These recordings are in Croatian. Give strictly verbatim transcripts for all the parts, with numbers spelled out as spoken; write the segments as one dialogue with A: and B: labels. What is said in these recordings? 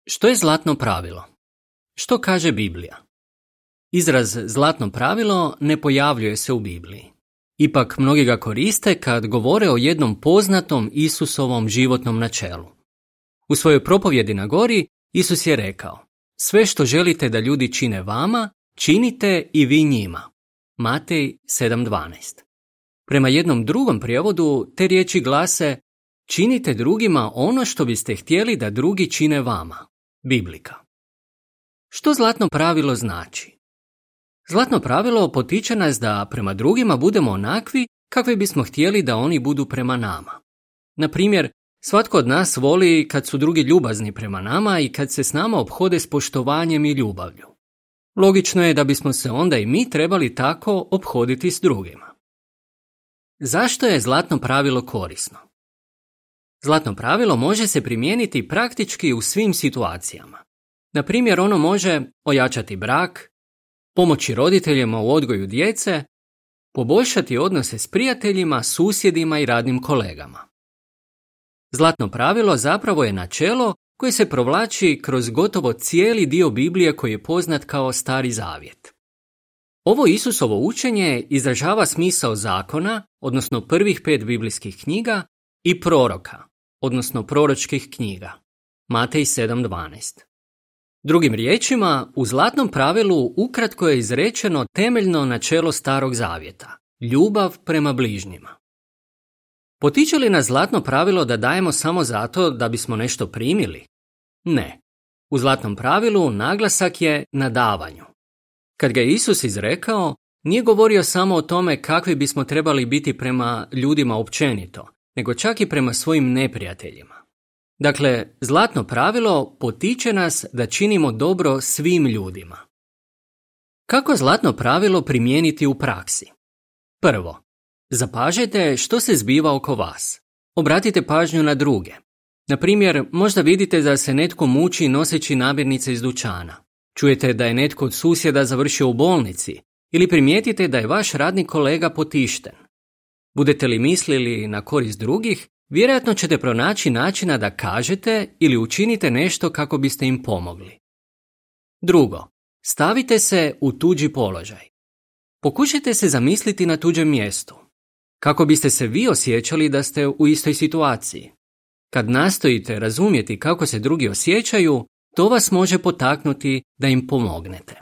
A: Što je zlatno pravilo? Što kaže Biblija? Izraz zlatno pravilo ne pojavljuje se u Bibliji. Ipak mnogi ga koriste kad govore o jednom poznatom Isusovom životnom načelu. U svojoj propovjedi na gori Isus je rekao: sve što želite da ljudi čine vama, činite i vi njima. Matej sedam dvanaest. Prema jednom drugom prijevodu te riječi glase: činite drugima ono što biste htjeli da drugi čine vama. Biblika. Što zlatno pravilo znači? Zlatno pravilo potiče nas da prema drugima budemo onakvi kakvi bismo htjeli da oni budu prema nama. Na primjer, svatko od nas voli kad su drugi ljubazni prema nama i kad se s nama ophode s poštovanjem i ljubavlju. Logično je da bismo se onda i mi trebali tako ophoditi s drugima. Zašto je zlatno pravilo korisno? Zlatno pravilo može se primijeniti praktički u svim situacijama. Na primjer, ono može ojačati brak, pomoći roditeljima u odgoju djece, poboljšati odnose s prijateljima, susjedima i radnim kolegama. Zlatno pravilo zapravo je načelo koje se provlači kroz gotovo cijeli dio Biblije koji je poznat kao Stari zavjet. Ovo Isusovo učenje izražava smisao zakona, odnosno prvih pet biblijskih knjiga, i proroka, odnosno proročkih knjiga. Matej sedam dvanaest. Drugim riječima, u zlatnom pravilu ukratko je izrečeno temeljno načelo Starog zavjeta, ljubav prema bližnjima. Potiče li nas zlatno pravilo da dajemo samo zato da bismo nešto primili? Ne. U zlatnom pravilu naglasak je na davanju. Kad ga je Isus izrekao, nije govorio samo o tome kakvi bismo trebali biti prema ljudima općenito, nego čak i prema svojim neprijateljima. Dakle, zlatno pravilo potiče nas da činimo dobro svim ljudima. Kako zlatno pravilo primijeniti u praksi? Prvo, zapažite što se zbiva oko vas. Obratite pažnju na druge. Na primjer, možda vidite da se netko muči noseći namirnice iz dućana. Čujete da je netko od susjeda završio u bolnici ili primijetite da je vaš radni kolega potišten. Budete li mislili na korist drugih, vjerojatno ćete pronaći načina da kažete ili učinite nešto kako biste im pomogli. Drugo, stavite se u tuđi položaj. Pokušajte se zamisliti na tuđem mjestu. Kako biste se vi osjećali da ste u istoj situaciji? Kad nastojite razumjeti kako se drugi osjećaju, to vas može potaknuti da im pomognete.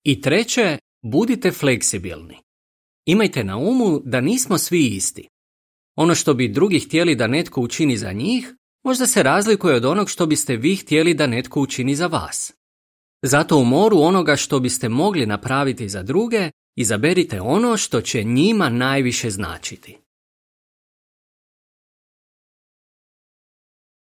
A: I treće, budite fleksibilni. Imajte na umu da nismo svi isti. Ono što bi drugi htjeli da netko učini za njih, možda se razlikuje od onog što biste vi htjeli da netko učini za vas. Zato u moru onoga što biste mogli napraviti za druge, izaberite ono što će njima najviše značiti.